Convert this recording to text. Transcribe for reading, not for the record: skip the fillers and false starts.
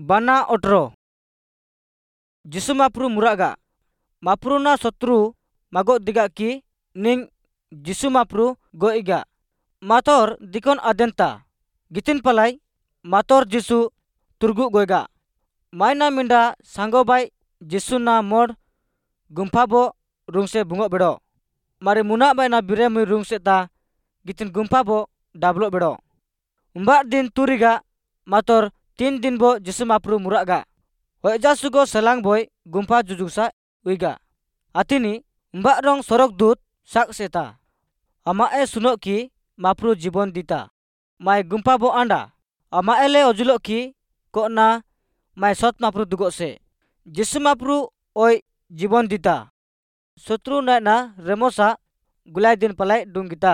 ବାନା 18। जिसु माप्रू मुरागा माप्रूना शत्रु मागो दिगा की निंग जिसु माप्रू गोइगा मातोर दिकोन आदेनता गितिन पलाई मातोर जिसु तुर्गु गोइगा मायना मिंडा सांगोबाई जिसु ना मोड़ गुम्फाबो रुंगसे बुंगो बेड़ो मारे मुना बायना बिरे मुई रुंगसे ता गितिन गुम्फाबो डाबलो बेड़ो उम्बार दिन तुरिगा मातोर 3 दिन बो जिसु माप्रू मुरागा होजा सुगो सलांग बोय गुम्फा जुजुसा उइगा आतिनी उम्बा रंग सरक दूत साक सेता अमा ए सुनो की माप्रू जीवन दीता my गुम्फा बो आंडा अमा एले ओजुलो की कोना my सत माप्रू दुगो से जिसु माप्रू ओय जीवन दीता शत्रु नायना रेमोसा गुलाय दिन पलाय डुंगिता।